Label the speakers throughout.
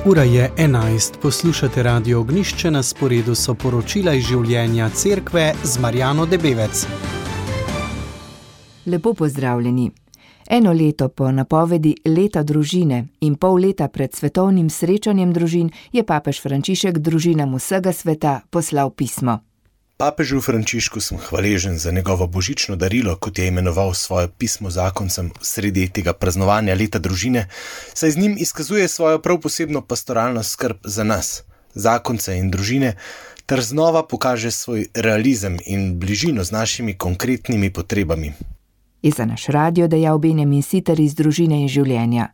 Speaker 1: Ura je 11, poslušate Radio Ognjišče, na sporedu so poročila iz življenja cerkve z Marjano Debevec.
Speaker 2: Lepo pozdravljeni. Eno leto po napovedi leta družine in pol leta pred svetovnim srečanjem družin je papež Frančišek družinam vsega sveta poslal pismo.
Speaker 3: Papežu Frančišku sem hvaležen za njegovo božično darilo, kot je imenoval svoje pismo zakoncem sredi tega praznovanja leta družine, saj z njim izkazuje svojo prav posebno pastoralno skrb za nas, zakonce in družine, ter znova pokaže svoj realizem in bližino z našimi konkretnimi potrebami.
Speaker 2: Je za naš radio dejal Benjamin Siter iz Družine in življenja.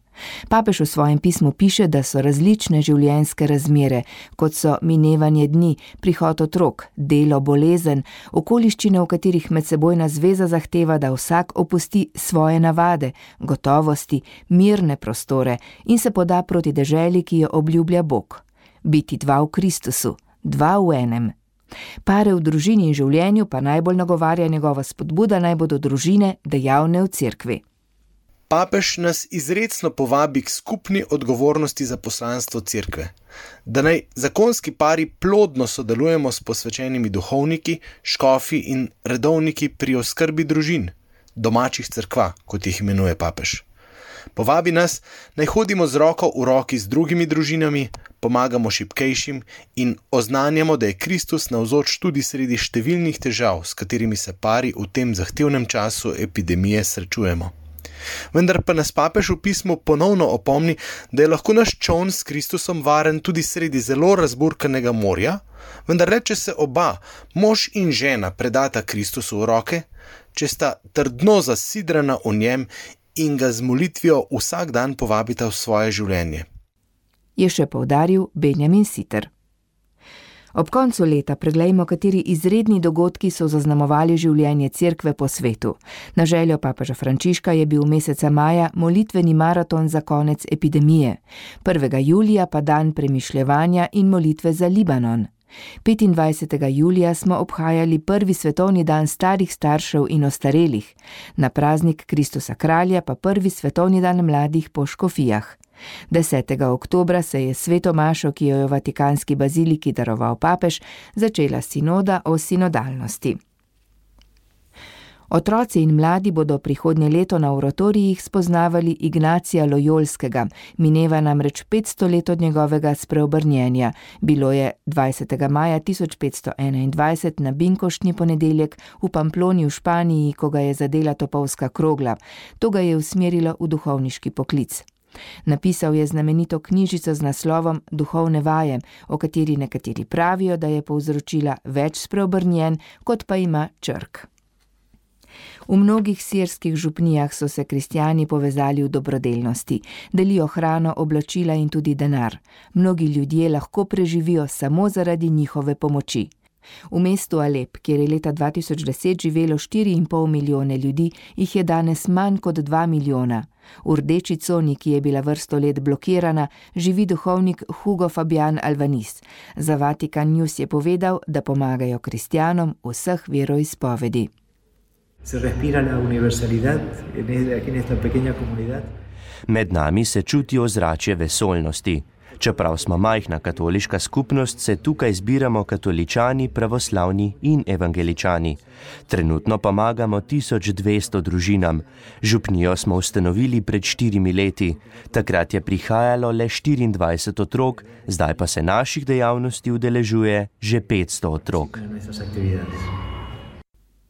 Speaker 2: Papež v svojem pismu piše, da so različne življenjske razmere, kot so minevanje dni, prihod otrok, delo, bolezen, okoliščine, v katerih medsebojna zveza zahteva, da vsak opusti svoje navade, gotovosti, mirne prostore in se poda proti deželi, ki jo obljublja Bog. Biti dva v Kristusu, dva v enem. Pare v družini in življenju pa najbolj nagovarja njegova spodbuda, naj bodo družine dejavne v cerkvi.
Speaker 3: Papež nas izrecno povabi k skupni odgovornosti za poslanstvo cerkve, da naj zakonski pari plodno sodelujemo s posvečenimi duhovniki, škofi in redovniki pri oskrbi družin, domačih cerkva, kot jih imenuje papež. Povabi nas, naj hodimo z roko v roki z drugimi družinami, pomagamo šibkejšim in oznanjamo, da je Kristus navzoč tudi sredi številnih težav, s katerimi se pari v tem zahtevnem času epidemije srečujemo. Vendar pa nas papež v pismu ponovno opomni, da je lahko naš čoln s Kristusom varen tudi sredi zelo razburkanega morja, vendar le če se oba, mož in žena, predata Kristusu v roke, če sta trdno zasidrana v njem in ga z molitvijo vsak dan povabita v svoje življenje.
Speaker 2: Je še poudaril Benjamin Siter. Ob koncu leta preglejmo, kateri izredni dogodki so zaznamovali življenje cerkve po svetu. Na željo papeža Frančiška je bil meseca maja molitveni maraton za konec epidemije, 1. julija pa dan premišljevanja in molitve za Libanon. 25. julija smo obhajali prvi svetovni dan starih staršev in ostarelih, na praznik Kristusa kralja pa prvi svetovni dan mladih po škofijah. 10. oktobra se je sveto mašo, ki jo je v Vatikanski baziliki daroval papež, začela sinoda o sinodalnosti. Otroci in mladi bodo prihodnje leto na oratorijih spoznavali Ignacija Lojolskega, mineva namreč 500 let od njegovega spreobrnjenja. Bilo je 20. maja 1521 na binkoštni ponedeljek v Pamploni v Španiji, ko ga je zadela topovska krogla. To ga je usmerilo v duhovniški poklic. Napisal je znamenito knjižico z naslovom Duhovne vaje, o kateri nekateri pravijo, da je povzročila več spreobrnjenj, kot pa ima črk. V mnogih sirskih župnijah so se kristjani povezali v dobrodelnosti, delijo hrano, oblačila in tudi denar. Mnogi ljudje lahko preživijo samo zaradi njihove pomoči. V mestu Alep, kjer je leta 2010 živelo 4,5 milijone ljudi, jih je danes manj kot 2 milijona. V rdeči coni, ki je bila vrsto let blokirana, živi duhovnik Hugo Fabian Alvaniz. Za Vatikan News je povedal, da pomagajo kristjanom vseh veroizpovedi.
Speaker 4: Se respira la universalidad aquí en esta pequeña comunidad.
Speaker 5: Med nami se čuti ozračje vesoljnosti. Čeprav smo majhna katoliška skupnost, se tukaj zbiramo katoličani, pravoslavni in evangeličani. Trenutno pomagamo 1200 družinam. Župnijo smo ustanovili pred 4 leti. Takrat je prihajalo le 24 otrok, zdaj pa se naših dejavnosti udeležuje že 500 otrok.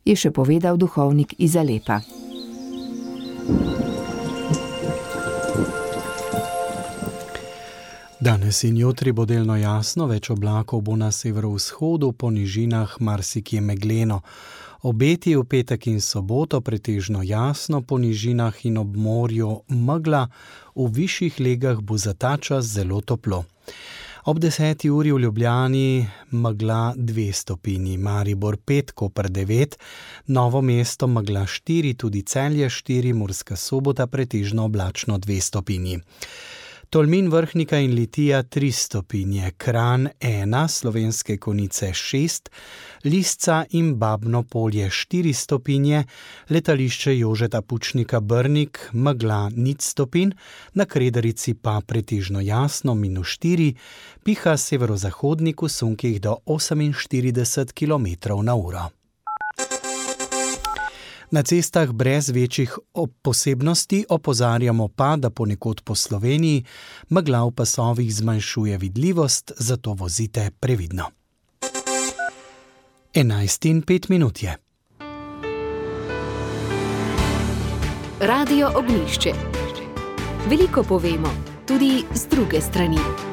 Speaker 2: Je še povedal duhovnik iz Alepa.
Speaker 1: Danes in jutri bo delno jasno, več oblakov bo na severovzhodu, po nižinah marsikje megleno. Obeti v petek in soboto pretežno jasno, po nižinah in ob morju megla, v višjih legah bo za ta čas zelo toplo. Ob 10. uri v Ljubljani megla 2 stopinji, Maribor 5, Koper 9, Novo mesto megla 4, tudi Celje 4, Murska Sobota pretežno oblačno 2 stopinji. Tolmin, Vrhnika in Litija 3 stopinje, Kranj 1, Slovenske Konjice 6, Lisca in Babno Polje 4 stopinje, letališče Jožeta Pučnika Brnik, megla 0 stopinj, na Kredarici pa pretežno jasno -4, piha severozahodnik v sunkih do 48 km/h. Na cestah brez večjih posebnosti opozarjamo pa, da ponekod po Sloveniji megla v pasovih zmanjšuje vidljivost, zato vozite previdno. 11:05 je.
Speaker 6: Radio Ognjišče. Veliko povemo, tudi z druge strani.